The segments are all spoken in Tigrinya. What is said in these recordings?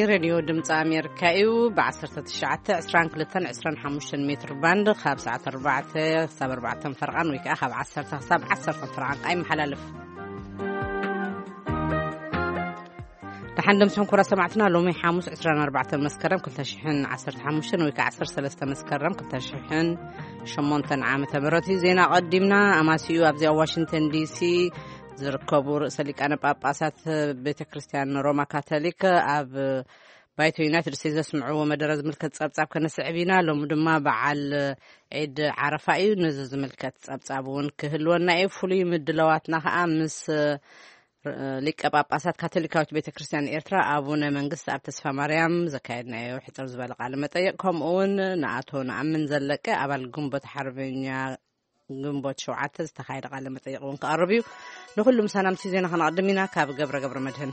ሬድዮ ድምፂ ኣሜሪካ እዩ። ብ19፣ 22፣ 25 ሜትር ባንድ ካብ ሰዓት ኣርባዕተ ክሳብ ኣርባዕተ ፈርቓን ወይ ከዓ ካብ ዓሰርተ ክሳብ ዓሰርተ ፈርቓን ቃ ይመሓላለፍ። ደሓን ደምስኹም ክቡራት ሰማዕትና። ሎሚ ሓሙስ ዕስራን ኣርባዕተን መስከረም ክልተ ሽሕን ዓሰርተ ሓሙሽተን ወይ ከዓ ዓሰርተ ሰለስተ መስከረም ክልተ ሽሕን ሸሞንተን ዓመተ ምህረት እዩ። ዜና ቀዲምና ኣማሲኡ ኣብዚ ኣብ ዋሽንግተን ዲሲ ዝርከቡ ርእሰ ሊቃነ ጳጳሳት ቤተ ክርስቲያን ሮማ ካቶሊክ ኣብ ባይቶ ዩናይትድ ስቴትስ ዘስምዕዎ መደረ ዝምልከት ጸብጻብ ከነስዕብ ኢና። ሎሚ ድማ በዓል ዒድ ዓረፋ እዩ። ነዚ ዝምልከት ጸብጻብ እውን ክህልወና እዩ። ፍሉይ ምድላዋትና ኸኣ ምስ ሊቀ ጳጳሳት ካቶሊካዊት ቤተ ክርስቲያን ኤርትራ ኣቡነ መንግስት ኣብ ተስፋ ማርያም ዘካየድናዮ ሕጽር ዝበለ ቃለ መጠይቕ፣ ከምኡ እውን ንኣቶ ነኣምን ዘለቀ ኣባል ግንቦት ሓርበኛ ግንቦት ሸውዓተ ዝተኻየደ ቃለ መጠይቕ እውን ክቐርብ እዩ። ንኹሉ ምሳና ምስቲ ዜና ከነቐድም ኢና። ካብ ገብረ ገብረ መድህን።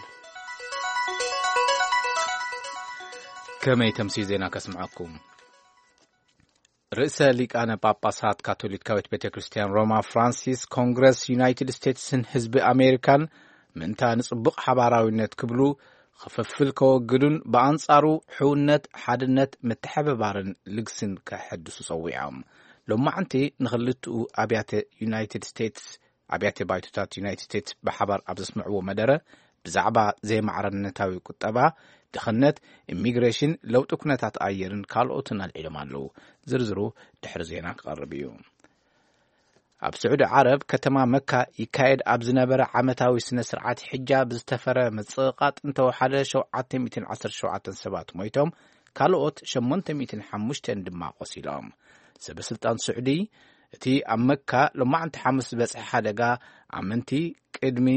ከመይ ተምሲ ዜና ከስምዐኩም። ርእሰ ሊቃነ ጳጳሳት ካቶሊካዊት ቤተ ክርስቲያን ሮማ ፍራንሲስ፣ ኮንግረስ ዩናይትድ ስቴትስን ህዝቢ ኣሜሪካን ምእንታ ንጽቡቕ ሓባራዊነት ክብሉ ክፍፍል ከወግዱን ብኣንጻሩ ሕውነት፣ ሓድነት፣ ምትሕብባርን ልግስን ከሐድሱ ጸዊዖም። ሎማዕንቲ ንኽልትኡ ኣብያተ ዩናይትድ ስቴትስ ኣብያተ ባይቶታት ዩናይትድ ስቴትስ ብሓባር ኣብ ዘስምዕዎ መደረ፣ ብዛዕባ ዘይማዕረነታዊ ቁጠባ፣ ድኽነት፣ ኢሚግሬሽን፣ ለውጢ ኩነታት ኣየርን ካልኦትን ኣልዒሎም ኣለዉ። ዝርዝሩ ድሕሪ ዜና ክቐርብ እዩ። ኣብ ስዑዲ ዓረብ ከተማ መካ ይካየድ ኣብ ዝነበረ ዓመታዊ ስነ ስርዓት ሕጃ ብዝተፈረ ምጽቕቓጥ እንተወሓደ ሸውዓተ ሚእትን ዓሰርተ ሸውዓተን ሰባት ሞይቶም፣ ካልኦት ሸሞንተ ሚእትን ሓሙሽተን ድማ ቆሲሎም። ሰበ ስልጣን ስዑዲ፣ እቲ ኣብ መካ ሎማዕንቲ ሓሙስ ዝበጽሐ ሓደጋ ኣመንቲ ቅድሚ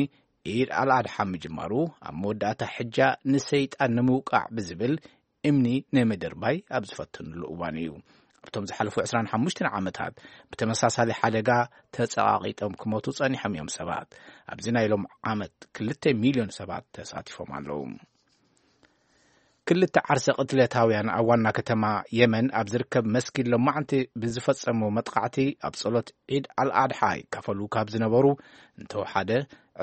ኢድ ኣልኣድሓ ምጅማሩ፣ ኣብ መወዳእታ ሕጃ ንሰይጣን ንምውቃዕ ብዝብል እምኒ ንምድርባይ ኣብ ዝፈተንሉ እዋን እዩ። ኣብቶም ዝሓለፉ ዕስራን ሓሙሽተን ዓመታት ብተመሳሳሊ ሓደጋ ተጸቓቒጦም ክሞቱ ጸኒሖም እዮም ሰባት። ኣብዚ ናይ ሎም ዓመት ክልተ ሚልዮን ሰባት ተሳቲፎም ኣለዉ። ክልተ ዓርሰ ቅትለታውያን ኣብ ዋና ከተማ የመን ኣብ ዝርከብ መስጊድ ሎማዕንቲ ብዝፈጸሙ መጥቃዕቲ ኣብ ጸሎት ዒድ ኣልኣድሓ ይካፈሉ ካብ ዝነበሩ እንተወሓደ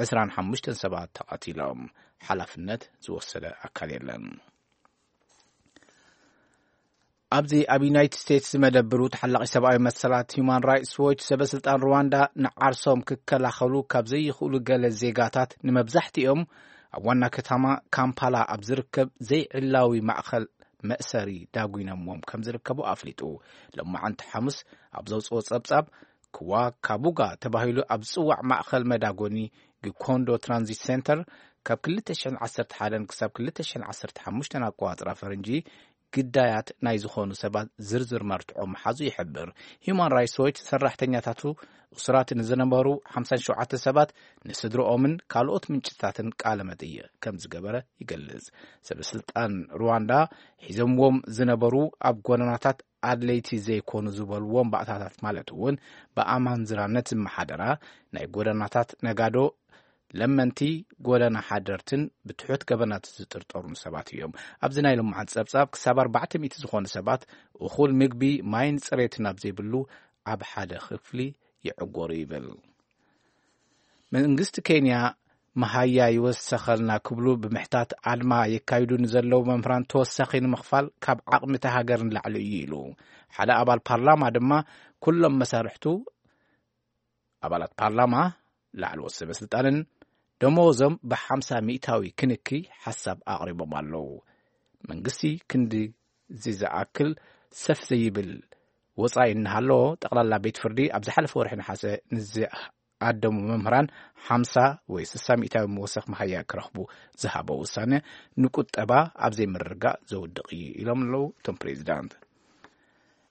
ዕስራን ሓሙሽተን ሰባት ተቐቲሎም። ሓላፍነት ዝወሰደ ኣካል የለን። ኣብዚ ኣብ ዩናይትድ ስቴትስ ዝመደብሩ ተሓላቒ ሰብኣዊ መሰላት ሁማን ራይትስ ዎች ሰበ ስልጣን ሩዋንዳ ንዓርሶም ክከላኸሉ ካብ ዘይኽእሉ ገለ ዜጋታት ንመብዛሕትኦም ኣብ ዋና ከተማ ካምፓላ ኣብ ዝርከብ ዘይዕላዊ ማእኸል መእሰሪ ዳጒኖምዎም ከም ዝርከቡ ኣፍሊጡ። ሎማዓንቲ ሓሙስ ኣብ ዘውፅኦ ፀብፃብ ክዋ ካቡጋ ተባሂሉ ኣብ ዝፅዋዕ ማእኸል መዳጎኒ ግኮንዶ ትራንዚት ሴንተር ካብ ክልተ ሽሕን ዓሰርተ ሓደን ክሳብ ክልተ ሽሕን ዓሰርተ ሓሙሽተን ኣቆፃፅራ ፈረንጂ ግዳያት ናይ ዝኾኑ ሰባት ዝርዝር መርትዖ ምሓዙ ይሕብር። ሂዩማን ራይትስ ዎች ሰራሕተኛታቱ እሱራት ንዝነበሩ ሓምሳን ሸውዓተ ሰባት ንስድርኦምን ካልኦት ምንጭታትን ቃለ መጠይቕ ከም ዝገበረ ይገልጽ። ሰበስልጣን ሩዋንዳ ሒዞምዎም ዝነበሩ ኣብ ጎደናታት ኣድለይቲ ዘይኮኑ ዝበልዎም ባእታታት ማለት እውን ብኣማንዝራነት ዝመሓደራ ናይ ጎደናታት ነጋዶ ለመንቲ ጎደና ሓደርትን ብትሑት ገበናት ዝጥርጠሩን ሰባት እዮም። ኣብዚ ናይ ሎምዓንቲ ጸብጻብ ክሳብ ኣርባዕተ ሚእቲ ዝኾኑ ሰባት እኹል ምግቢ፣ ማይን ጽሬትን ኣብ ዘይብሉ ኣብ ሓደ ክፍሊ ይዕጎሩ ይብል። መንግስቲ ኬንያ መሃያ ይወሰኸልና ክብሉ ብምሕታት ኣድማ የካይዱ ንዘለዉ መምህራን ተወሳኺ ንምኽፋል ካብ ዓቕሚ እታ ሃገር ንላዕሊ እዩ ኢሉ። ሓደ ኣባል ፓርላማ ድማ ኩሎም መሳርሕቱ ኣባላት ፓርላማ፣ ላዕለዎት ሰበ ስልጣንን ደመወዞም ብሓምሳ ሚእታዊ ክንኪ ሓሳብ ኣቕሪቦም ኣለዉ። መንግስቲ ክንዲ እዚ ዝኣክል ሰፍ ዘይብል ወጻኢ እናሃለዎ፣ ጠቕላላ ቤት ፍርዲ ኣብ ዝሓለፈ ወርሒ ነሓሰ ንዝኣደሙ መምህራን ሓምሳ ወይ ስሳ ሚእታዊ መወሰኽ መሃያ ክረኽቡ ዝሃቦ ውሳነ ንቁጠባ ኣብ ዘይምርግጋእ ዘውድቕ እዩ ኢሎም ኣለዉ እቶም ፕሬዚዳንት።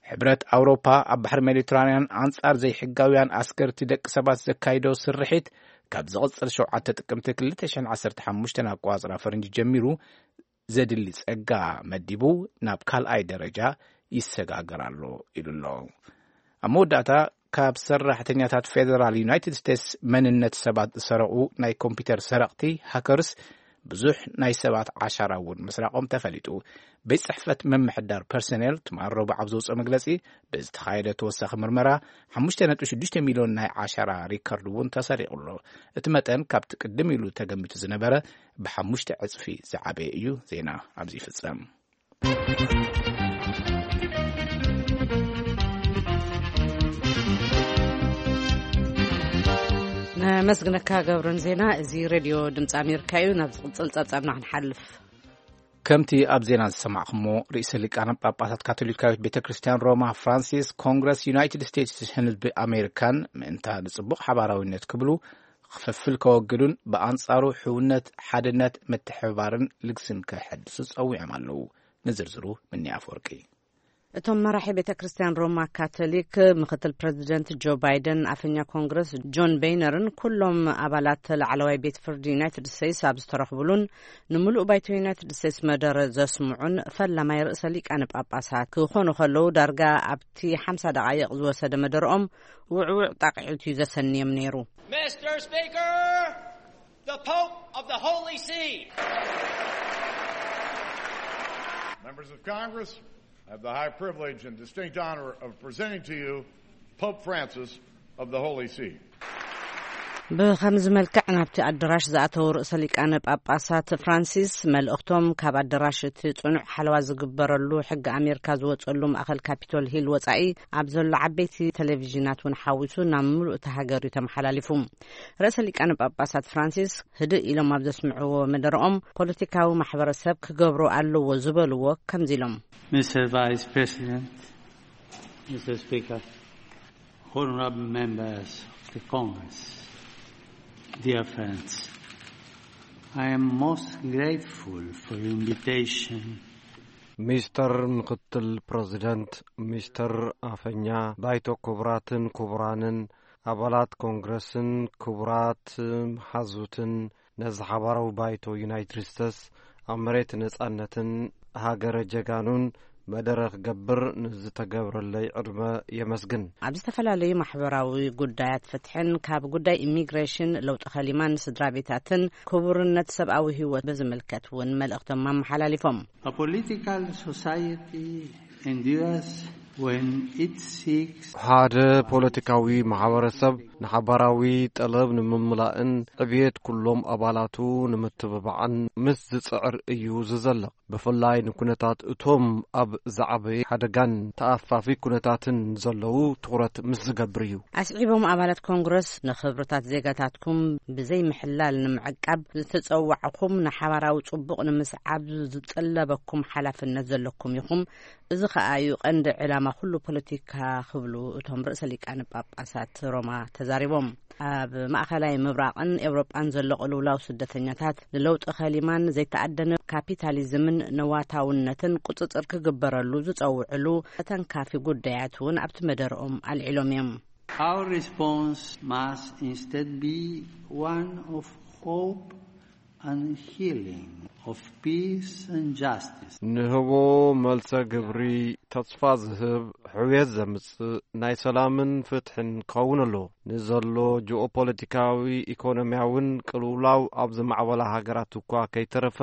ሕብረት ኣውሮፓ ኣብ ባሕሪ ሜዲትራንያን ኣንጻር ዘይሕጋውያን ኣስገርቲ ደቂ ሰባት ዘካይዶ ስርሒት ካብ ዝቕጽል ሸውዓተ ጥቅምቲ ክልተ ሽሕን ዓሰርተ ሓሙሽተን ኣቆጻጽራ ፈረንጂ ጀሚሩ ዘድሊ ጸጋ መዲቡ ናብ ካልኣይ ደረጃ ይሰጋገር ኣሎ ኢሉ ኣሎ። ኣብ መወዳእታ ካብ ሰራሕተኛታት ፌደራል ዩናይትድ ስቴትስ መንነት ሰባት ዝሰረቑ ናይ ኮምፒውተር ሰረቕቲ ሃከርስ ብዙሕ ናይ ሰባት ዓሻራ እውን ምስራቖም ተፈሊጡ። ቤት ጽሕፈት ምምሕዳር ፐርሰኔል ትማል ረቡዕ ኣብ ዘውፅኦ መግለጺ፣ ብዝተኻየደ ተወሳኺ ምርመራ ሓሙሽተ ነጥቢ ሽዱሽተ ሚልዮን ናይ ዓሻራ ሪከርድ እውን ተሰሪቑ ኣሎ። እቲ መጠን ካብቲ ቅድም ኢሉ ተገሚቱ ዝነበረ ብሓሙሽተ ዕጽፊ ዝዓበየ እዩ። ዜና ኣብዚ ይፍጸም። ነመስግነካ ገብረን ዜና። እዚ ሬድዮ ድምፂ ኣሜሪካ እዩ። ናብ ዝቕፅል ፀብፃብና ክንሓልፍ። ከምቲ ኣብ ዜና ዝሰማዕኹሞ፣ ርእሰ ሊቃነ ጳጳሳት ካቶሊካዊት ቤተ ክርስቲያን ሮማ ፍራንሲስ፣ ኮንግረስ ዩናይትድ ስቴትስን ህዝቢ ኣሜሪካን ምእንታ ንጽቡቕ ሓባራዊነት ክብሉ፣ ክፍፍል ከወግዱን ብኣንጻሩ ሕውነት፣ ሓድነት፣ ምትሕብባርን ልግስን ከሐድሱ ጸዊዖም ኣለዉ። ንዝርዝሩ ምኒ ኣፈወርቂ። እቶም መራሒ ቤተ ክርስቲያን ሮማ ካቶሊክ፣ ምክትል ፕሬዚደንት ጆ ባይደን፣ ኣፈኛ ኮንግረስ ጆን ቤይነርን ኩሎም ኣባላት ላዕለዋይ ቤት ፍርዲ ዩናይትድ ስቴትስ ኣብ ዝተረኽብሉን፣ ንምሉእ ባይቶ ዩናይትድ ስቴትስ መደረ ዘስምዑን ፈላማይ ርእሰ ሊቃነ ጳጳሳት ክኾኑ ከለዉ፣ ዳርጋ ኣብቲ ሓምሳ ደቓይቕ ዝወሰደ መደረኦም ውዕውዕ ጣቕዒት እዩ ዘሰንዮም ነይሩ። Mister Speaker, the Pope of the Holy See. Members of Congress, I have the high privilege and distinct honor of presenting to you Pope Francis of the Holy See. ብኸምዚ መልክዕ ናብቲ ኣደራሽ ዝኣተው ርእሰ ሊቃነ ጳጳሳት ፍራንሲስ፣ መልእኽቶም ካብ ኣደራሽ እቲ ጽኑዕ ሓለዋ ዝግበረሉ ሕጊ ኣሜሪካ ዝወጸሉ ማእኸል ካፒቶል ሂል ወጻኢ ኣብ ዘሎ ዓበይቲ ቴሌቪዥናት እውን ሓዊሱ ናብ ምሉእ እታ ሃገር እዩ ተመሓላሊፉ። ርእሰ ሊቃነ ጳጳሳት ፍራንሲስ ህድእ ኢሎም ኣብ ዘስምዕዎ መደረኦም፣ ፖለቲካዊ ማሕበረሰብ ክገብሮ ኣለዎ ዝበልዎ ከምዚ ኢሎም። Mister Vice President, Mister Speaker, honorable members of the Congress, dear friends, I am most grateful for your invitation. ሚስተር ምክትል ፕሬዚደንት፣ ሚስተር ኣፈኛ ባይቶ፣ ክቡራትን ክቡራንን ኣባላት ኮንግረስን ክቡራት መሓዙትን፣ ነዚ ሓባራዊ ባይቶ ዩናይትድ ስቴትስ ኣብ መሬት ነጻነትን ሃገረ ጀጋኑን መደረ ክገብር ንዝተገብረለይ ዕድመ የመስግን። ኣብ ዝተፈላለዩ ማሕበራዊ ጉዳያት ፍትሕን፣ ካብ ጉዳይ ኢሚግሬሽን፣ ለውጢ ከሊማን ስድራ ቤታትን ክቡርነት ሰብኣዊ ህይወት ብዝምልከት እውን መልእኽቶም ኣመሓላሊፎም። A political society endures when it seeks ሓደ ፖለቲካዊ ማሕበረሰብ ንሓባራዊ ጠለብ ንምምላእን ዕብየት ኩሎም ኣባላቱ ንምትብባዕን ምስ ዝጽዕር እዩ ዝዘልቕ። ብፍላይ ንኩነታት እቶም ኣብ ዝዓበየ ሓደጋን ተኣፋፊ ኩነታትን ዘለዉ ትኹረት ምስ ዝገብር እዩ። ኣስዒቦም፣ ኣባላት ኮንግረስ፣ ንኽብርታት ዜጋታትኩም ብዘይምሕላል ንምዕቃብ ዝተጸዋዕኹም፣ ንሓባራዊ ጽቡቕ ንምስዓብ ዝጥለበኩም ሓላፍነት ዘለኩም ኢኹም። እዚ ኸኣ እዩ ቀንዲ ዕላማ ኩሉ ፖለቲካ ክብሉ እቶም ርእሰ ሊቃነ ጳጳሳት ሮማ ተዛሪቦም። ኣብ ማእኸላይ ምብራቕን ኤውሮጳን ዘሎ ቅልውላው ስደተኛታት፣ ንለውጢ ከሊማን ዘይተኣደነ ካፒታሊዝምን ነዋታውነትን ቁጽጽር ክግበረሉ ዝጸውዕሉ ተተንካፊ ጉዳያት እውን ኣብቲ መደረኦም ኣልዒሎም እዮም። Our response must instead be one of hope and healing, of peace and justice. ንህቦ መልሰ ግብሪ ተስፋ ዝህብ፣ ሕውየት ዘምጽእ፣ ናይ ሰላምን ፍትሕን ክኸውን ኣለዎ። ንዘሎ ጂኦፖለቲካዊ ኢኮኖሚያውን ቅልውላው ኣብ ዝማዕበላ ሃገራት እኳ ከይተረፈ፣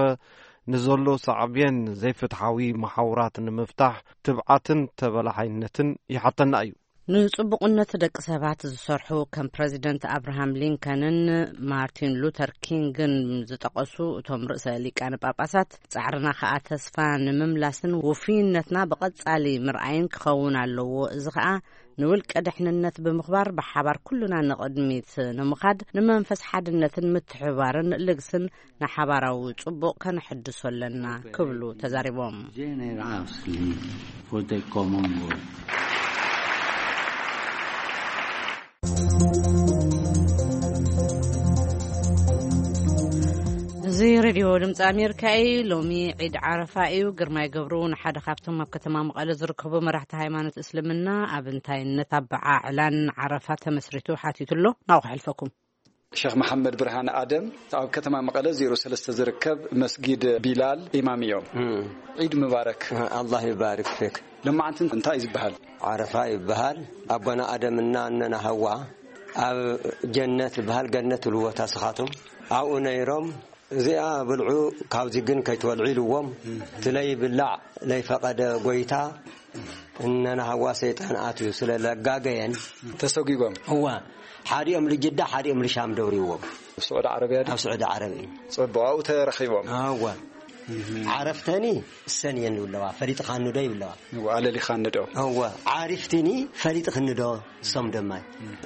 ንዘሎ ሳዕቤን ዘይፍትሓዊ መሓውራት ንምፍታሕ ትብዓትን ተበላሓይነትን ይሓተና እዩ። ንጽቡቕነት ደቂ ሰባት ዝሰርሑ ከም ፕረዚደንት ኣብርሃም ሊንከንን ማርቲን ሉተር ኪንግን ዝጠቐሱ እቶም ርእሰ ሊቃነ ጳጳሳት፣ ጻዕርና ከኣ ተስፋ ንምምላስን ውፉይነትና ብቐጻሊ ምርኣይን ክኸውን ኣለዎ። እዚ ከኣ ንውልቀ ድሕንነት ብምኽባር፣ ብሓባር ኩልና ንቕድሚት ንምኻድ፣ ንመንፈስ ሓድነትን ምትሕብባርን ልግስን ንሓባራዊ ጽቡቕ ከነሐድሶ ኣለና ክብሉ ተዛሪቦም። Generously for the common good. እዚ ሬድዮ ድምፂ ኣሜሪካ እዩ። ሎሚ ዒድ ዓረፋ እዩ። ግርማይ ገብሩ ንሓደ ካብቶም ኣብ ከተማ መቐለ ዝርከቡ መራሕቲ ሃይማኖት እስልምና ኣብ እንታይነት ኣበዓዕላን ዓረፋ ተመስሪቱ ሓቲቱ ኣሎ። ናብኡ ከሕልፈኩም። ሸኽ መሓመድ ብርሃን ኣደም ኣብ ከተማ መቐለ ዜሮ ሰለስተ ዝርከብ መስጊድ ቢላል ኢማም እዮም። ዒድ ምባረክ። ኣላህ ይባርክ ፊክ። ለማዓንቲ እንታይ እዩ ዝበሃል? ዓረፋ ይበሃል። ኣቦና ኣደምና እነና ሃዋ ኣብ ጀነት ዝበሃል፣ ገነት ትብልዎ እታ ስኻቶም፣ ኣብኡ ነይሮም። እዚኣ ብልዑ፣ ካብዚ ግን ከይትበልዑ ኢልዎም። እቲ ለይብላዕ ለይፈቐደ ጎይታ እነናሃዋ ሰይጣን ኣትዩ ስለ ለጋገየን፣ ተሰጒጎም። እዋ፣ ሓዲኦም ልጅዳ ሓዲኦም ልሻም ደውርዎም። ኣብ ስዑዲ ዓረብያ ድዩ? ኣብ ስዑዲ ዓረብ እዩ። ጽቡቕ፣ ኣብኡ ተረኺቦም። እዋ። ዓረፍተኒ እሰን እየን ዝብለዋ፣ ፈሊጥኻኒ ዶ ይብለዋ። እዋ፣ ኣለሊኻኒ ዶ? እዋ፣ ዓሪፍትኒ ፈሊጥኽኒ ዶ? እሶም ደማይ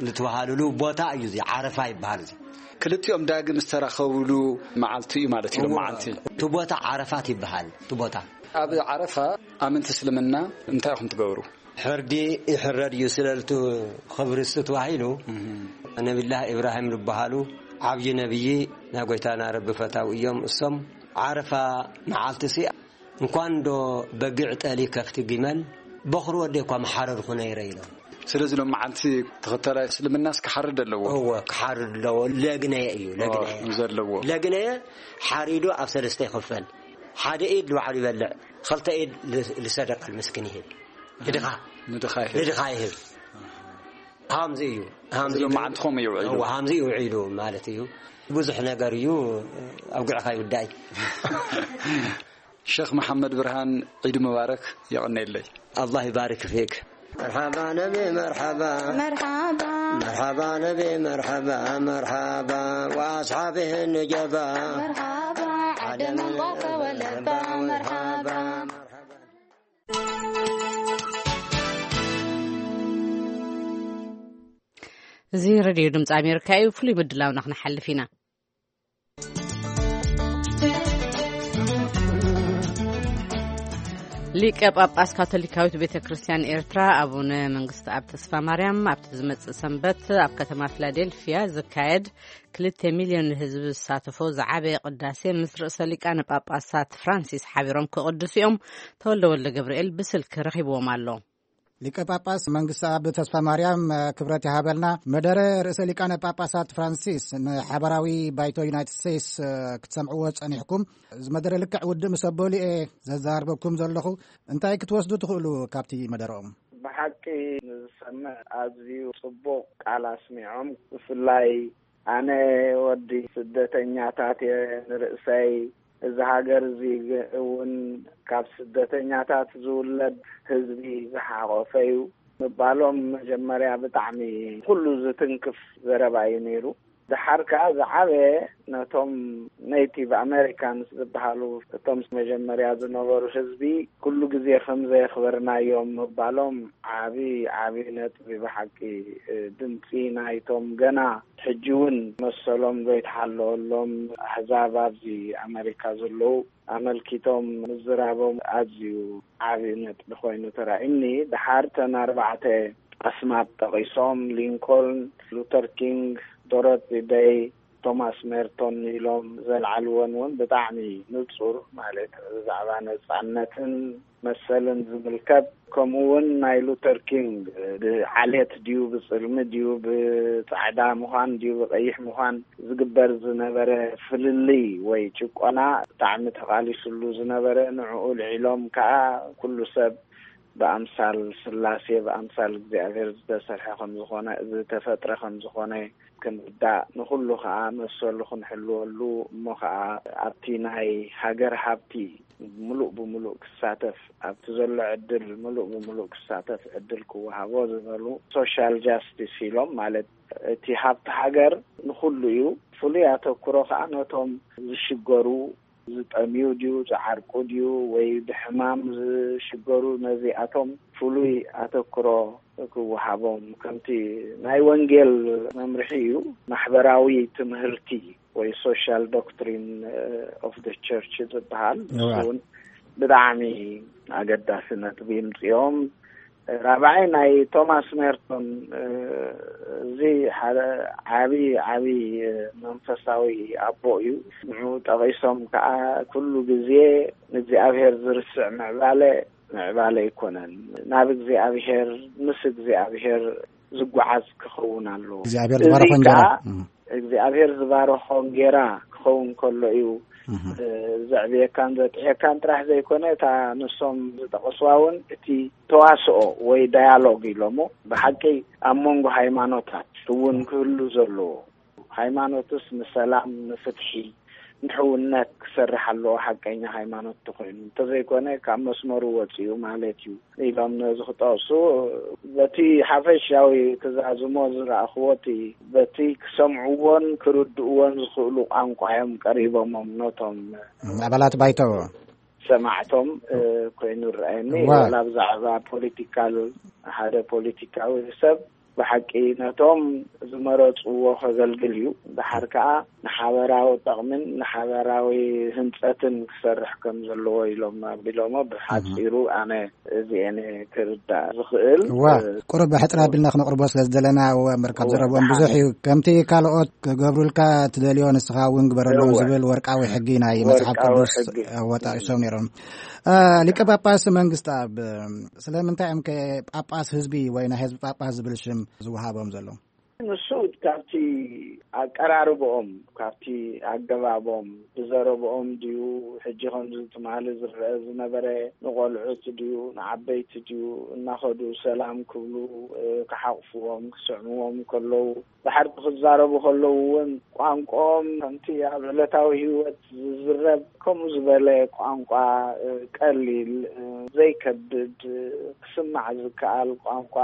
ልትበሃሉሉ ቦታ እዩ፣ እዚ ዓረፋ ይበሃል። እዚ ክልቲኦም ዳግም ዝተራኸቡሉ መዓልቲ እዩ ማለት እዩ። እዋ፣ መዓልቲ። እቲ ቦታ ዓረፋት ይበሃል። እቲ ቦታ ኣብ ዓረፋ ኣመንቲ እስልምና እንታይ ኢኹም ትገብሩ? ሕርዲ ይሕረድ እዩ ስለልቱ ክብሪ እሱ ተባሂሉ። ነቢላህ ኢብራሂም ዝበሃሉ ዓብዪ ነብዪ ናይ ጎይታና ረቢ ፈታው እዮም። እሶም ዓረፋ መዓልቲ ሲ እንኳን ዶ በጊዕ ጠሊ ከፍቲ ግመል በኽሪ ወደ እኳ መሓረድኹ ነይረ ኢሎም። ስለዚ ሎም መዓልቲ ተኸተላይ እስልምናስ ክሓርድ ኣለዎ። እወ፣ ክሓርድ ኣለዎ። ለግነየ እዩ፣ ለግነየ። ኦ፣ ዘለዎ። ለግነየ ሓሪዱ ኣብ ሰለስተ ይኽፈል። ሓደ ኢድ ንባዕሉ ይበልዕ፣ ኸልተ ኢድ ል-፣ ልሰደቃ ልምስኪን ይህብ። ንድኻ፣ ንድኻ ይህብ። ንድኻ ይህብ። ሃምዚ እዩ። ሃምዚ እዚ እዩ። መዓልትኹም እዩ ውዒሉ። እወ፣ ሃምዚ እዩ ውዒሉ ማለት እዩ። ብዙሕ ነገር እዩ፣ ኣብ ጉዕኻ ይውዳእ። ሸኽ መሓመድ ብርሃን፣ ዒድ ሙባረክ። የቐኔለይ። ኣላህ ይባርክ ፊክ። መርሓባ ነቢ፣ መርሓባ። መርሓባ። መርሓባ ነቢ፣ መርሓባ፣ መርሓባ። ወኣስሓቢህ ንጀባ። መርሓባ። ዓደምን ጓከ ወለባ። መርሓባ። እዚ ሬድዮ ድምፂ ኣሜሪካ እዩ። ፍሉይ ምድላውና ክንሓልፍ ኢና። ሊቀ ጳጳስ ካቶሊካዊት ቤተ ክርስቲያን ኤርትራ ኣቡነ መንግስቲ ኣብ ተስፋ ማርያም ኣብቲ ዝመጽእ ሰንበት ኣብ ከተማ ፊላዴልፊያ ዝካየድ ክልተ ሚልዮን ህዝቢ ዝሳተፎ ዝዓበየ ቅዳሴ ምስ ርእሰ ሊቃነ ጳጳሳት ፍራንሲስ ሓቢሮም ክቕድሱ እዮም። ተወልደ ወልደ ገብርኤል ብስልኪ ረኺብዎም ኣሎ። ሊቀ ጳጳስ መንግስቲ ኣብ ተስፋ ማርያም፣ ክብረት ይሃበልና። መደረ ርእሰ ሊቃነ ጳጳሳት ፍራንሲስ ንሓበራዊ ባይቶ ዩናይትድ ስቴትስ ክትሰምዕዎ ጸኒሕኩም። እዚ መደረ ልክዕ ውድእ ምስ ኣበሉ እየ ዘዘራርበኩም ዘለኹ። እንታይ ክትወስዱ ትኽእሉ ካብቲ መደረኦም? ብሓቂ ንዝሰምዕ ኣዝዩ ጽቡቕ ቃል ኣስሚዖም። ብፍላይ ኣነ ወዲ ስደተኛታት እየ ንርእሰይ። እዚ ሃገር እዚ እውን ካብ ስደተኛታት ዝውለድ ህዝቢ ዝሓቖፈ እዩ ምባሎም መጀመርያ ብጣዕሚ ኩሉ ዝትንክፍ ዘረባ እዩ ነይሩ። ደሓር ከኣ ዝዓበየ ነቶም ኔቲቭ ኣሜሪካንስ ዝበሃሉ እቶም መጀመርያ ዝነበሩ ህዝቢ ኩሉ ግዜ ከም ዘየኽበርናዮም ምባሎም ዓቢ ዓቢ ነጥቢ ብሓቂ። ድምጺ ናይቶም ገና ሕጂ እውን መሰሎም ዘይተሓለወሎም ኣህዛብ ኣብዚ ኣመሪካ ዘለዉ ኣመልኪቶም ምዝራቦም ኣዝዩ ዓቢ ነጥቢ ኮይኑ ተራእዩኒ። ደሓር እተን ኣርባዕተ ኣስማት ጠቒሶም፣ ሊንኮልን፣ ሉተር ኪንግ፣ ዶሮቲ ደይ፣ ቶማስ ሜርቶን ኢሎም ዘልዓልወን እውን ብጣዕሚ ንጹር፣ ማለት ብዛዕባ ነጻነትን መሰልን ዝምልከት፣ ከምኡ እውን ናይ ሉተር ኪንግ ብዓሌት ድዩ፣ ብጽልሚ ድዩ፣ ብጻዕዳ ምዃን ድዩ፣ ብቐይሕ ምዃን ዝግበር ዝነበረ ፍልልይ ወይ ጭቆና ብጣዕሚ ተቓሊስሉ ዝነበረ፣ ንዕኡ ልዒሎም ከኣ ኩሉ ሰብ ብኣምሳል ስላሴ፣ ብኣምሳል እግዚኣብሔር ዝተሰርሐ ከም ዝኾነ፣ ዝተፈጥረ ከም ዝኾነ ክንርዳእ፣ ንኹሉ ከኣ መሰሉ ክንሕልወሉ፣ እሞ ከኣ ኣብቲ ናይ ሃገር ሃብቲ ምሉእ ብምሉእ ክሳተፍ፣ ኣብቲ ዘሎ ዕድል ምሉእ ብምሉእ ክሳተፍ ዕድል ክወሃቦ ዝበሉ፣ ሶሻል ጃስቲስ ኢሎም፣ ማለት እቲ ሃብቲ ሃገር ንኹሉ እዩ። ፍሉይ ኣተኩሮ ከኣ ነቶም ዝሽገሩ፣ ዝጠምዩ ድዩ፣ ዝዓርቁ ድዩ፣ ወይ ብሕማም ዝሽገሩ፣ ነዚኣቶም ፍሉይ ኣተኩሮ ክወሃቦም፣ ከምቲ ናይ ወንጌል መምርሒ እዩ። ማሕበራዊ ትምህርቲ ወይ ሶሻል ዶክትሪን ኦፍ ደ ቸርች ዝበሃል፣ እዋ። እሱ እውን ብጣዕሚ ኣገዳሲ ነጥቢ ምጽኦም። ራብዓይ ናይ ቶማስ ሜርቶን፣ እዚ ሓደ ዓቢ፣ ዓቢ መንፈሳዊ ኣቦ እዩ። ንዑ ጠቒሶም ከኣ፣ ኩሉ ግዜ ንእግዚኣብሔር ዝርስዕ ምዕባለ፣ ምዕባለ ኣይኮነን። ናብ እግዚኣብሔር፣ ምስ እግዚኣብሔር ዝጓዓዝ ክኸውን ኣለዎ። እግዚኣብሔር እዚ ዝበረኾ እንጀራ። ከኣ እም። እግዚኣብሔር ዝባረኾ እንጌራ ክኸውን ከሎ እዩ፣ እህ። እ፣ ዘዕብየካን ዘጥዕየካን ጥራሕ ዘይኮነ፣ እታ ንሶም ዝጠቐስዋ እውን እቲ ተዋስኦ ወይ ዳያሎግ ኢሎሞ፣ ብሓቂ ኣብ መንጎ ሃይማኖታት እውን ክህሉ ዘለዎ። ሃይማኖትስ ንሰላም፣ ንፍትሒ፣ ድሕውነት ክሰርሕ ኣለዎ፣ ሓቀኛ ሃይማኖት ተኮይኑ፣ እንተዘይኮነ ካብ መስመሩ ወፂኡ ማለት እዩ ኢሎም ነዚ ክጠቕሱ፣ በቲ ሓፈሻዊ ክዛዝሞ ዝረኣኽዎ፣ እቲ በቲ ክሰምዕዎን ክርድእዎን ዝኽእሉ ቋንቋ እዮም ቀሪቦሞም፣ ነቶም ኣባላት ባይቶ ሰማዕቶም ኮይኑ ረኣየኒ። ዋላ ብዛዕባ ፖለቲካል፣ ሓደ ፖለቲካዊ ሰብ ብሓቂ ነቶም ዝመረፅዎ ከገልግል እዩ። ድሓር ከዓ ንሓበራዊ ጠቕምን ንሓበራዊ ህንፀትን ክሰርሕ ከም ዘለዎ ኢሎም ኣቢሎሞ። ብሓፂሩ ኣነ እዚኤን ክርዳእ ዝኽእል። እዋ፣ ቁሩብ ብሕፅር ኣቢልና ክነቕርቦ ስለ ዝደለና፣ እወ፣ እምበር ካብ ዘረብኦም ብዙሕ እዩ። ከምቲ ካልኦት ክገብሩልካ ትደልዮ ንስኻ እውን ግበረሎም ዝብል ወርቃዊ ሕጊ ናይ መጽሓፍ ቅዱስ ወጣኢሶም ነይሮም። ሊቀ ጳጳስ መንግስቲ ኣብ ስለምንታይ እዮም ከ ጳጳስ ህዝቢ ወይ ናይ ህዝቢ ጳጳስ ዝብል ሽም ዝወሃቦም ዘሎ? ንሱ ካብቲ ኣቀራርብኦም፣ ካብቲ ኣገባቦም፣ ብዘረብኦም ድዩ፣ ሕጂ ከምዚ ትማሊ ዝረአ ዝነበረ፣ ንቆልዑት ድዩ፣ ንዓበይቲ ድዩ፣ እናኸዱ ሰላም ክብሉ፣ ክሓቕፍዎም፣ ክስዕምዎም ከለዉ፣ ብሓቂ ክዛረቡ ከለዉ እውን ቋንቋኦም ከምቲ ኣብ ዕለታዊ ህይወት ዝዝረብ ከምኡ ዝበለ ቋንቋ፣ ቀሊል፣ ዘይከብድ፣ ክስማዕ ዝከኣል ቋንቋ፣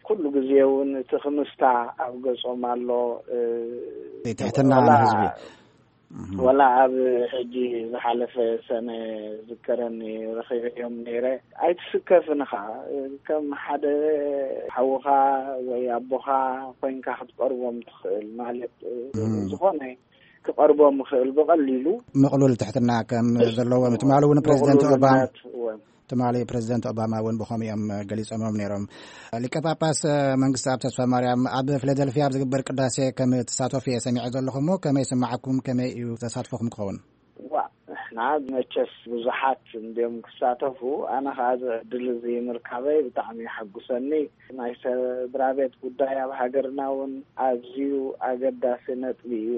ኩሉ ግዜ እውን እቲ ክምስታ ኣብ ገጾም ኣሎ። ትሕትና ንህዝቢ። ወላ ኣብ ሕጂ ዝሓለፈ ሰነ ዝከረኒ ረኺበዮም ነይረ። ኣይትስከፍን ኢኻ፣ ከም ሓደ ሓውኻ ወይ ኣቦኻ ኮይንካ ክትቀርቦም ትኽእል። ማለት፣ ዝኾነ ክቐርቦም ይኽእል ብቐሊሉ። ምቕሉል ትሕትና ከም ዘለዎም ትማሊ እውን ፕሬዚደንት ኦባማ ትማሊ ፕሬዚደንት ኦባማ እውን ብኸምኡ እዮም ገሊጾሞም ነይሮም። ሊቀ ጳጳስ መንግስቲ ኣብ ተስፋ ማርያም ኣብ ፊላደልፊያ ኣብ ዝግበር ቅዳሴ ከም ትሳተፉ እየ ሰሚዐ ዘለኹ እሞ፣ ከመይ ይስምዓኩም? ከመይ እዩ ተሳትፎኹም ክኸውን? ዋ፣ ንሕና መቸስ ብዙሓት እንዲዮም ክሳተፉ። ኣነ ኸዓ እዚ ዕድል እዚ ምርካበይ ብጣዕሚ የሐጉሰኒ። ናይ ስድራ ቤት ጉዳይ ኣብ ሃገርና እውን ኣዝዩ ኣገዳሲ ነጥቢ እዩ።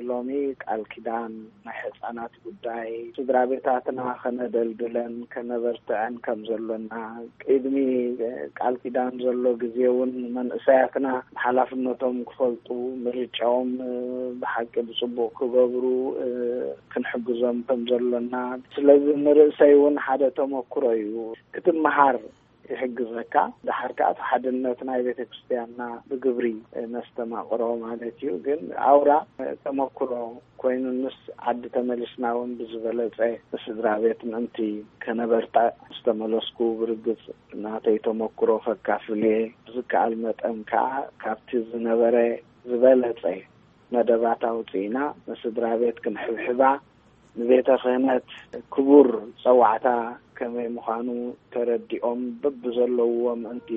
ሎሚ ቃል ኪዳን ናይ ህፃናት ጉዳይ፣ ስድራ ቤታትና ከነደልድለን ከነበርትዐን ከም ዘሎና፣ ቅድሚ ቃል ኪዳን ዘሎ ግዜ እውን መንእሰያትና ሓላፍነቶም ክፈልጡ፣ ምርጫኦም ብሓቂ ብፅቡቅ ክገብሩ ክንሕግዞም ከም ዘሎና። ስለዚ ንርእሰይ እውን ሓደ ተመክሮ እዩ። ክትመሃር ይሕግዘካ። ደሓር ከኣ እቲ ሓድነት ናይ ቤተ ክርስቲያንና ብግብሪ ነስተማቕሮ ማለት እዩ። ግን ኣውራ ተመክሮ ኮይኑንስ፣ ዓዲ ተመሊስና እውን ብዝበለጸ ስድራ ቤት ምእንቲ ከነበርታ፣ ምስ ተመለስኩ ብርግጽ ናተይ ተመክሮ ከካፍል እየ። ብዝከኣል መጠን ከኣ ካብቲ ዝነበረ ዝበለጸ መደባት ኣውጺእና ንስድራ ቤት ክንሕብሕባ፣ ንቤተ ክህነት ክቡር ጸዋዕታ ከመይ ምዃኑ ተረዲኦም፣ በብዘለውዎ ምእንቲ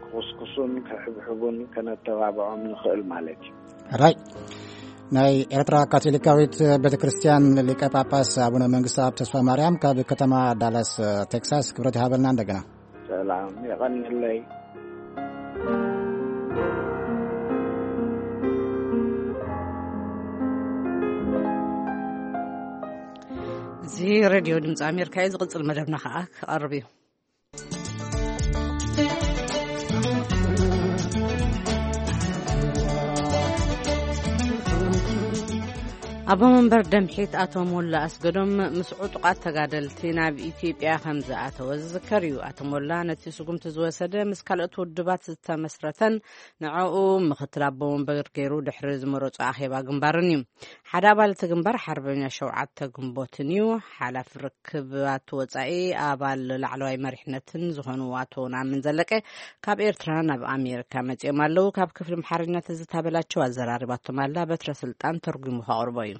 ክኹስኩሱን ክሕብሕቡን ከነተባብዖም ንኽእል ማለት እዩ። ሕራይ። ናይ ኤርትራ ካቶሊካዊት ቤተ ክርስቲያን ሊቀ ጳጳስ ኣቡነ መንግስቲ ኣብ ተስፋ ማርያም ካብ ከተማ ዳላስ ቴክሳስ፣ ክብረት ይሃበልና እንደገና። ሰላም፣ የቐንለይ። እዚ ሬድዮ ድምፂ ኣሜሪካ እዩ። ዝቕፅል መደብና ከዓ ክቐርብ እዩ። ኣቦ መንበር ደምሒት ኣቶ ሞላ ኣስገዶም ምስ ዕጡቓት ተጋደልቲ ናብ ኢትዮጵያ ከም ዝኣተወ ዝዝከር እዩ። ኣቶ ሞላ ነቲ ስጉምቲ ዝወሰደ ምስ ካልኦት ውድባት ዝተመስረተን ንዕኡ ምኽትል ኣቦ መንበር ገይሩ ድሕሪ ዝመረጾ ኣኼባ ግንባርን እዩ። ሓደ ኣባል እቲ ግንባር ሓርበኛ ሸውዓተ ግንቦትን እዩ። ሓላፊ ርክባት ወጻኢ ኣባል ላዕለዋይ መሪሕነትን ዝኾኑ ኣቶ ነኣምን ዘለቀ ካብ ኤርትራ ናብ ኣሜሪካ መጺኦም ኣለዉ። ካብ ክፍሊ ኣምሓርኛ ትዝታ በላቸው ኣዘራሪባቶም ኣላ። በትረ ስልጣን ተርጒሙ ከቕርቦ እዩ።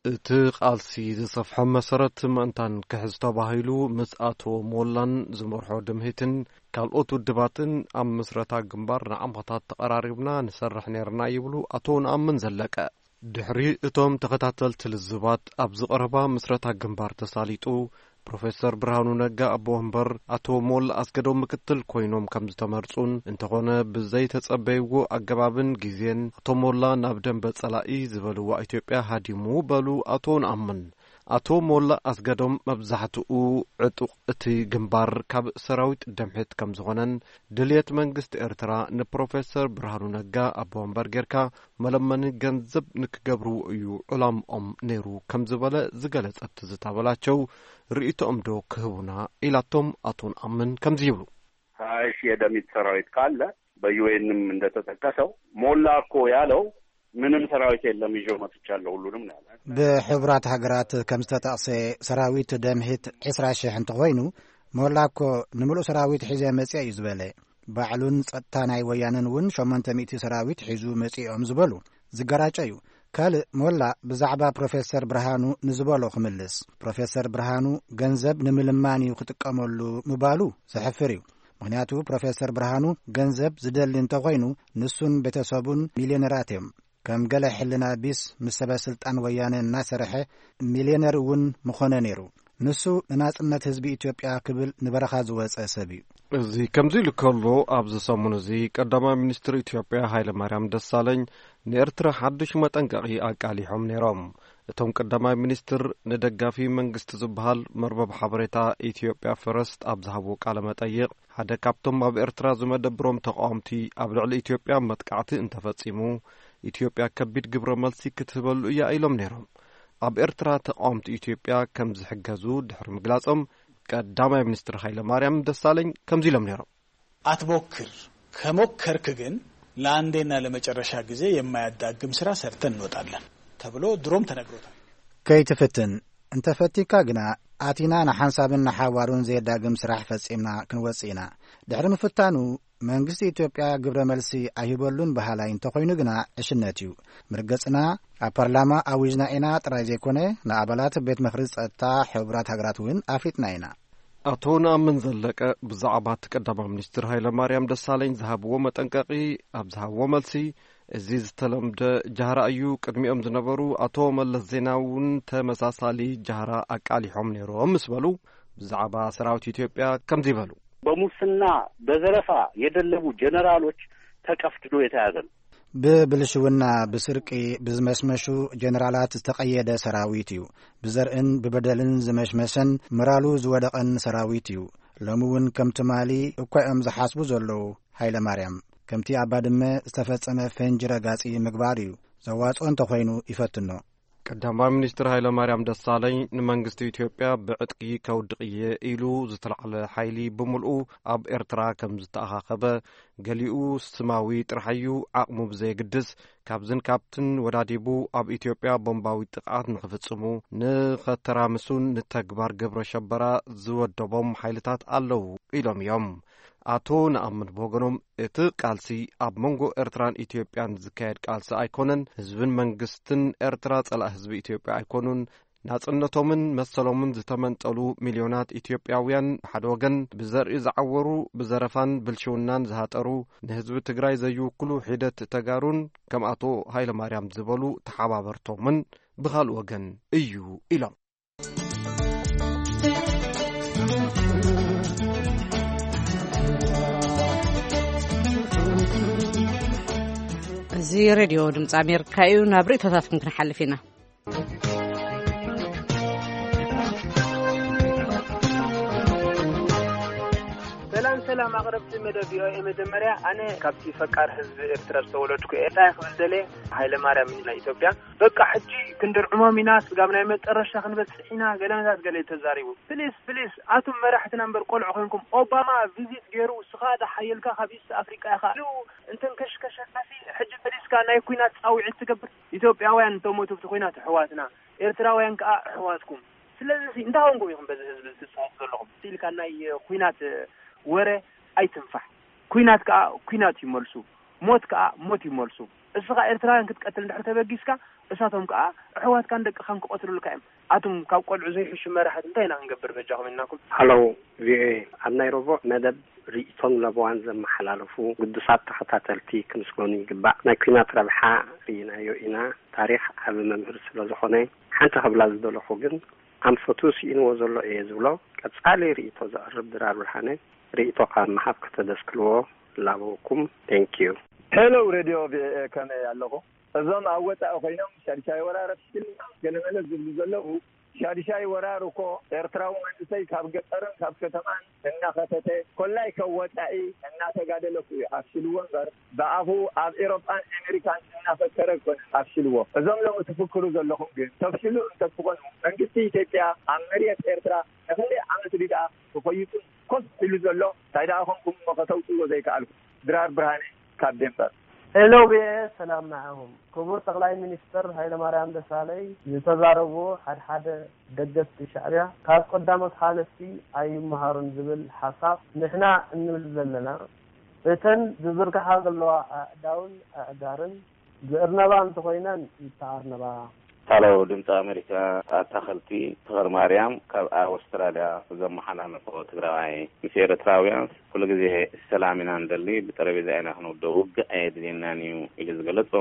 እቲ ቃልሲ ዝሰፍሖ መሰረት ምእንታን ክሕዝ ተባሂሉ ምስ ኣቶ ሞላን ዝመርሖ ድምሂትን ካልኦት ውድባትን ኣብ ምስረታ ግንባር ንዓመታት ተቐራሪብና ንሰርሕ ነይርና ይብሉ ኣቶ ነኣምን ዘለቀ። ድሕሪ እቶም ተኸታተልቲ ልዝባት ኣብዚ ቀረባ ምስረታ ግንባር ተሳሊጡ ፕሮፌሰር ብርሃኑ ነጋ ኣቦ ወንበር ኣቶ ሞላ ኣስገዶም ምክትል ኮይኖም ከም ዝተመርጹን፣ እንተኾነ ብዘይተጸበይዎ ኣገባብን ግዜን ኣቶ ሞላ ናብ ደንበ ጸላኢ ዝበልዋ ኢትዮጵያ ሃዲሙ በሉ ኣቶ ነኣምን። ኣቶ ሞላ ኣስገዶም መብዛሕትኡ ዕጡቕ እቲ ግንባር ካብ ሰራዊት ደምሒት ከም ዝኾነን ድልየት መንግስቲ ኤርትራ ንፕሮፌሰር ብርሃኑ ነጋ ኣቦ ወንበር ጌርካ መለመኒ ገንዘብ ንክገብርዎ እዩ ዕላምኦም ነይሩ ከም ዝበለ ዝገለጸት ትዝታ በላቸው፣ ርእይቶኦም ዶ ክህቡና ኢላቶም ኣቶ ንኣምን ከምዚ ይብሉ። ሀያ ሺህ የደሚት ሰራዊት ካለ በዩኤንም እንደተጠቀሰው ሞላ እኮ ያለው ምንም ሰራዊት የለም ይዞ መጥቻለሁ ሁሉንም ነው ያለ። ብሕቡራት ሃገራት ከም ዝተጠቕሰ ሰራዊት ደምሂት ዕስራ ሽሕ እንተኾይኑ፣ ሞላ እኮ ንምሉእ ሰራዊት ሒዘ መጽአ እዩ ዝበለ። ባዕሉን ጸጥታ ናይ ወያነን እውን ሸሞንተ ሚእቲ ሰራዊት ሒዙ መጺኦም ዝበሉ ዝገራጨ እዩ። ካልእ ሞላ ብዛዕባ ፕሮፌሰር ብርሃኑ ንዝበሎ ክምልስ፣ ፕሮፌሰር ብርሃኑ ገንዘብ ንምልማን እዩ ክጥቀመሉ ምባሉ ዘሕፍር እዩ። ምኽንያቱ ፕሮፌሰር ብርሃኑ ገንዘብ ዝደሊ እንተኾይኑ ንሱን ቤተሰቡን ሚልዮነራት እዮም። ከም ገለ ሕልና ቢስ ምስ ሰበ ስልጣን ወያነ እናሰርሐ ሚልዮነር እውን ምኾነ ነይሩ። ንሱ ንናጽነት ህዝቢ ኢትዮጵያ ክብል ንበረኻ ዝወጸ ሰብ እዩ። እዚ ከምዚ ኢሉ ከሎ፣ ኣብዚ ሰሙን እዚ ቀዳማይ ሚኒስትር ኢትዮጵያ ሃይለማርያም ደሳለኝ ንኤርትራ ሓድሽ መጠንቀቒ ኣቃሊሖም ነይሮም። እቶም ቀዳማይ ሚኒስትር ንደጋፊ መንግስቲ ዝበሃል መርበብ ሓበሬታ ኢትዮጵያ ፈረስት ኣብ ዝሃብዎ ቃለ መጠይቕ፣ ሓደ ካብቶም ኣብ ኤርትራ ዝመደብሮም ተቓወምቲ ኣብ ልዕሊ ኢትዮጵያ መጥቃዕቲ እንተፈጺሙ፣ ኢትዮጵያ ከቢድ ግብረ መልሲ ክትህበሉ እያ ኢሎም ነይሮም። ኣብ ኤርትራ ተቓወምቲ ኢትዮጵያ ከም ዝሕገዙ ድሕሪ ምግላጾም፣ ቀዳማይ ሚኒስትር ሃይለማርያም ደሳለኝ ከምዚ ኢሎም ነይሮም። አትሞክር፣ ከሞከርክ ግን ለአንዴና ለመጨረሻ ጊዜ የማያዳግም ስራ ሰርተን እንወጣለን ተብሎ ድሮም ተነግሮታል። ከይትፍትን፣ እንተፈቲካ ግና ኣቲና ንሓንሳብን ንሓዋሩን ዘየዳግም ስራሕ ፈጺምና ክንወጽእ ኢና። ድሕሪ ምፍታኑ መንግስቲ ኢትዮጵያ ግብረ መልሲ ኣይህበሉን በሃላይ እንተኾይኑ ግና ዕሽነት እዩ። ምርገጽና ኣብ ፓርላማ ኣዊጅና ኢና ጥራይ ዘይኮነ ንኣባላት ቤት ምኽሪ ጸጥታ ሕቡራት ሃገራት እውን ኣፍሊጥና ኢና። ኣቶ ነኣምን ዘለቀ ብዛዕባ እቲ ቀዳማይ ሚኒስትር ሃይለማርያም ደሳለኝ ዝሃብዎ መጠንቀቒ ኣብ ዝሃብዎ መልሲ፣ እዚ ዝተለምደ ጃህራ እዩ፣ ቅድሚኦም ዝነበሩ ኣቶ መለስ ዜናዊ እውን ተመሳሳሊ ጃህራ ኣቃሊሖም ነይሮም ምስ በሉ፣ ብዛዕባ ሰራዊት ኢትዮጵያ ከምዚ በሉ። በሙስና በዘረፋ የደለቡ ጀነራሎች ተቀፍድዶ የተያዘ ነው። ብብልሽውና ብስርቂ ብዝመሽመሹ ጀነራላት ዝተቐየደ ሰራዊት እዩ። ብዘርእን ብበደልን ዝመሽመሸን ምራሉ ዝወደቐን ሰራዊት እዩ። ሎሚ እውን ከም ትማሊ እኳ እዮም ዝሓስቡ ዘለዉ። ሃይለ ማርያም ከምቲ ኣብ ባድመ ዝተፈጸመ ፈንጂ ረጋጺ ምግባር እዩ። ዘዋጽኦ እንተኾይኑ ይፈትኖ። ቀዳማይ ሚኒስትር ሃይለማርያም ደሳለኝ ንመንግስቲ ኢትዮጵያ ብዕጥቂ ከውድቕ እየ ኢሉ ዝተላዕለ ሓይሊ ብምልኡ ኣብ ኤርትራ ከም ዝተኣኻኸበ፣ ገሊኡ ስማዊ ጥራሕ እዩ፣ ዓቕሙ ብዘየግድስ ካብዝን ካብትን ወዳዲቡ ኣብ ኢትዮጵያ ቦምባዊ ጥቕዓት ንኽፍጽሙ ንኸተራምሱን ንተግባር ግብረ ሸበራ ዝወደቦም ሓይልታት ኣለዉ ኢሎም እዮም። ኣቶ ነኣምን ብወገኖም፣ እቲ ቃልሲ ኣብ መንጎ ኤርትራን ኢትዮጵያን ዝካየድ ቃልሲ ኣይኮነን። ህዝብን መንግስትን ኤርትራ ጸላእ ህዝቢ ኢትዮጵያ ኣይኮኑን። ናጽነቶምን መሰሎምን ዝተመንጠሉ ሚልዮናት ኢትዮጵያውያን ብሓደ ወገን፣ ብዘርኢ ዝዓወሩ፣ ብዘረፋን ብልሽውናን ዝሃጠሩ፣ ንህዝቢ ትግራይ ዘይውክሉ ሒደት ተጋሩን ከም ኣቶ ሃይለማርያም ዝበሉ ተሓባበርቶምን ብኻልእ ወገን እዩ ኢሎም። እዚ ሬድዮ ድምፂ ኣሜሪካ እዩ። ናብ ርእይቶታትኩም ክንሓልፍ ኢና። ሰላም ሰላም ኣቕረብቲ መደብ ቪኦኤ፣ መጀመርያ ኣነ ካብቲ ፈቃር ህዝቢ ኤርትራ ዝተወለድኩ እየ። እንታይ ክብል ደልየ፣ ሃይለ ማርያም ናይ ኢትዮጵያ በቃ ሕጂ ክንድርዕሞም ኢና፣ ስጋብ ናይ መጨረሻ ክንበጽሕ ኢና፣ ገለ መታት ገለ እዩ ተዛሪቡ። ፕሊስ ፕሊስ ኣቱም መራሕትና እምበር ቆልዑ ኮንኩም፣ ኦባማ ቪዚት ገይሩ፣ ስኻ ደሓየልካ ካብ ኢስት ኣፍሪቃ ኢኻ ኢሉ እንተንከሽከሸካሲ፣ ሕጂ መሊስካ ናይ ኲናት ጻውዒት ትገብር። ኢትዮጵያውያን እንተሞቱ ብቲ ኲናት ኣሕዋትና፣ ኤርትራውያን ከኣ ኣሕዋትኩም። ስለዚ ሲ እንታይ ኮንኩም ኢኹም በዚ ህዝቢ እዚ ትጻወቱ ዘለኹም? ኢልካ ናይ ኲናት ወረ ኣይትንፋሕ። ኲናት ከኣ ኲናት እዩ መልሱ። ሞት ከኣ ሞት እዩ መልሱ። እስኻ ኤርትራውያን ክትቀትል እንድሕር ተበጊስካ፣ እሳቶም ከኣ ኣሕዋትካን ደቅኻን ክቐትሉልካ እዮም። ኣቱም ካብ ቆልዑ ዘይሕሹ መራሕቲ እንታይ ኢና ክንገብር በጃኹም ኢልናኩም። ሃሎ ቪኦኤ፣ ኣብ ናይ ረቡዕ መደብ ርእይቶን ለበዋን ዘመሓላልፉ ግዱሳት ተኸታተልቲ ክምስገኑ ይግባእ። ናይ ኲናት ረብሓ ርኢናዮ ኢና። ታሪኽ ዓቢ መምህር ስለ ዝኾነ፣ ሓንቲ ክብላ ዝደለኹ ግን ኣንፈቱ ስኢንዎ ዘሎ እየ ዝብሎ ቀጻሊ ርእይቶ ዘቕርብ ድራር ብርሃነ፣ ርእይቶኻ ምሃብ ከተደስክልዎ እላበወኩም። Thank you። Hello Radio ቪኦኤ፣ ከመይ ኣለኹ? እዞም ኣብ ወጻኢ ኮይኖም ሻድሻይ ወራር ኣፍሽክልና ገለመለ ዝብሉ ዘለዉ ሻድሻይ ወራር እኮ ኤርትራዊ መንእሰይ ካብ ገጠርን ካብ ከተማን እናኸተተ፣ ኮላይ ካብ ወጻኢ እናተጋደለ እኮ እዩ ኣፍሽልዎ እምበር፣ ብኣፉ ኣብ ኤሮጳን ኣሜሪካን እናፈከረ ኣይኮነን ኣፍሽልዎ። እዞም ሎሚ ትፍክሩ ዘለኹም ግን ተፍሽሉ እንተትኾኑ፣ መንግስቲ ኢትዮጵያ ኣብ መሬት ኤርትራ ንክንደይ ዓመት ድኣ ተኾይጡ ኮፍ ኢሉ ዘሎ? እንታይ ደኣ ኮንኩም እሞ ከተውፅዎ ዘይከኣልኩም? ድራር ብርሃነ ካብ ዴንበር። ሄሎ ቪኦኤ፣ ሰላም ንዓኹም። ክቡር ጠቕላይ ሚኒስትር ሃይለማርያም ደሳለይ ዝተዛረብዎ ሓድሓደ ደገፍቲ ሻዕብያ ካብ ቀዳሞት ሓለፍቲ ኣይመሃሩን ዝብል ሓሳብ ንሕና እንብል ዘለና፣ እተን ዝዝርግሓ ዘለዋ ኣእዳውን ኣእጋርን ዝእርነባ እንተኾይነን ይተኣርነባ። ሃሎ ድምፂ ኣሜሪካ፣ ኣታኸልቲ ተኽለ ማርያም ካብ ኣውስትራልያ። ዘመሓላለፎ ትግራዋይ ምስ ኤርትራውያን ኩሉ ግዜ ሰላም ኢና ንደሊ፣ ብጠረጴዛ ኢና ክንውደእ፣ ውግእ ኣየድልየናን እዩ ኢሉ ዝገለጾ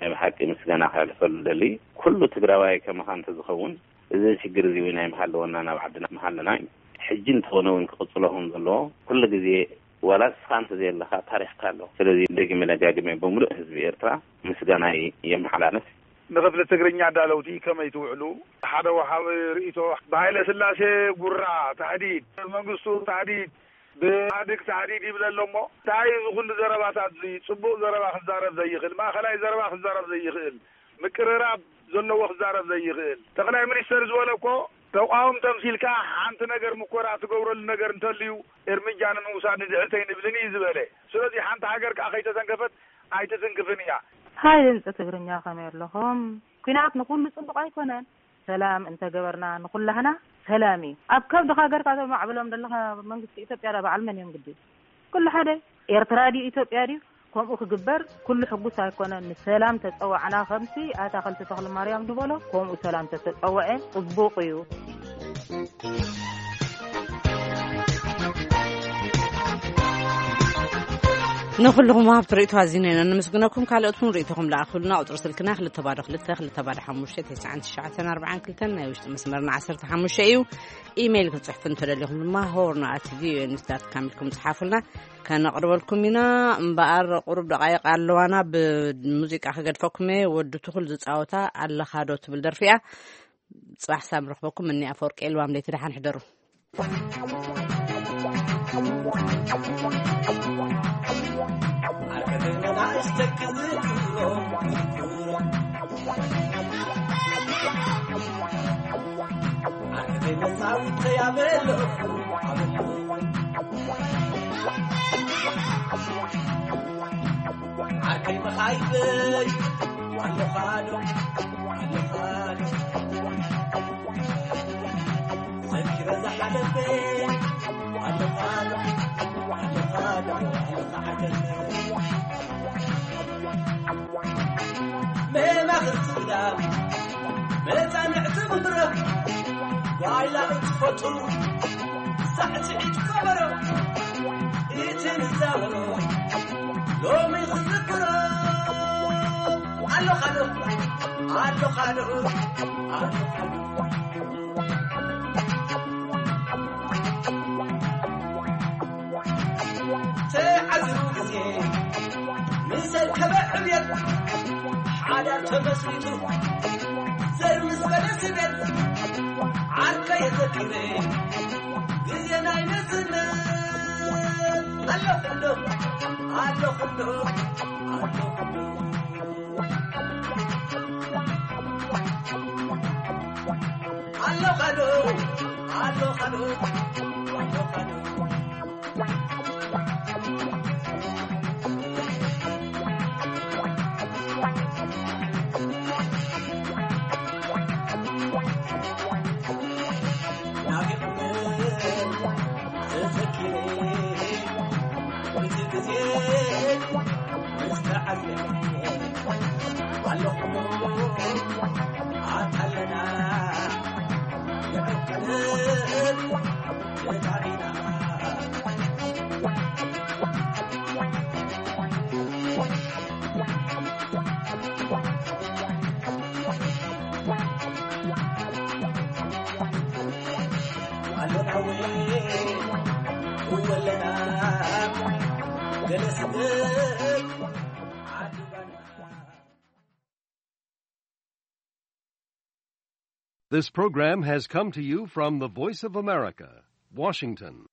ናይ ብሓቂ ምስጋና ከሕልፈሉ ደሊ። ኩሉ ትግራዋይ ከማኻ እንተዝኸውን እዚ ሽግር እዚ እውን ኣይምሃለወና፣ ናብ ዓድና ምሃለና እዩ። ሕጂ እንተኾነ እውን ክቕጽሎ ከም ዘለዎ ኩሉ ግዜ ዋላ ንስኻ እንተዘየለኻ ታሪኽካ ኣሎ። ስለዚ ደጊመ ደጋጊመ ብምሉእ ህዝቢ ኤርትራ ምስጋናይ የመሓላልፍ። ንክፍሊ ትግርኛ ኣዳለውቲ ከመይ ትውዕሉ? ሓደ ወሃቢ ርእይቶ፣ ብሃይለ ስላሴ ጉራ ታህዲድ፣ መንግስቱ ታህዲድ፣ ብኢህኣዴግ ታህዲድ ይብል ኣሎ እሞ፣ እንታይ እዚ ኩሉ ዘረባታት እዚ? ጽቡቕ ዘረባ ክዛረብ ዘይኽእል፣ ማእኸላይ ዘረባ ክዛረብ ዘይኽእል፣ ምቅርራብ ዘለዎ ክዛረብ ዘይኽእል፣ ጠቕላይ ሚኒስተር ዝበለ እኮ ተቋውም ተምሲልካ ሓንቲ ነገር ምኮራ ትገብረሉ ነገር እንተልዩ እርምጃ ንምውሳድ ንድሕርተይ ንብልን እዩ ዝበለ። ስለዚ ሓንቲ ሃገር ከኣ ከይተተንከፈት ኣይትትንክፍን እያ። ሃይ ድምፂ ትግርኛ፣ ከመይ ኣለኹም? ኲናት ንኹሉ ጽቡቕ ኣይኮነን። ሰላም እንተገበርና ንኹላህና ሰላም እዩ። ኣብ ከብድኻ ገርካ ተማዕብሎም ዘለኻ መንግስቲ ኢትዮጵያ ዳ በዓል መን እዮም ግዲ? ኩሉ ሓደ። ኤርትራ ድዩ ኢትዮጵያ ድዩ? ከምኡ ክግበር ኩሉ ሕጉስ ኣይኮነን። ንሰላም ተጸዋዕና ከምቲ ኣታኸልቲ ተኽለ ማርያም ዝበሎ፣ ከምኡ ሰላም ተተጸወዐ ጽቡቕ እዩ። ንኹልኹም ወሃብቲ ርእይቶ ኣዚና ኢና ነመስግነኩም። ካልኦት እውን ርእይቶኹም ለኣኹልና። ቁጽሪ ስልክና ክልተ ባዶ ክልተ ክልተ ባዶ ሓሙሽተ ተስዓን ትሽዓተን ኣርባዓን ክልተን፣ ናይ ውሽጢ መስመርና ዓሰርተ ሓሙሽተ እዩ። ኢሜይል ክትጽሕፉ እንተደሊኹም ድማ ሆርን ኣት ቪኦኤ ኒውስ ዳት ካም ኢልኩም ጽሓፉልና፣ ከነቕርበልኩም ኢና። እምበኣር ቁሩብ ደቓይቕ ኣለዋና፣ ብሙዚቃ ክገድፈኩም እየ። ወዲ ትኹል ዝጻወታ ኣለኻዶ ትብል ደርፊ እያ። ጽባሕ ሳም ረኽበኩም። እኒ ኣፈወርቂ ኤልዋም ለይቲ ደሓን ሕደሩ። ዓርከይ መኻይበይ ኣለኻዶ ኣለኻዶ ዘኪረ ዝሓለፈ ኣለኻዶ ኣለኻዶ ኣለኻ ዓርከይ መማኽርቲ ግዳ መጻንዕቲ መድረኽ ጓይላ እትፈቱ ሳዕስዒት ከበሮ እቲ ንዛወሮ ሎሚ ክዝክሮ ኣለኻዶ ኣለኻዶ ኣለኻዶ ተዓዚቡ ግዜ ምስ ኣከበ ዕብየት ሓዳር ተመስሪቱ ዘር ምስ በለ ስደት ዓርከ የዘኪረ ግዜ ናይ መዝነት ኣለኹ ዶ ኣለኹ ዶ ኣለኹ ዶ ኣለኻዶ ኣለኻዶ ኣለኻዶ This program has come to you from the Voice of America, Washington.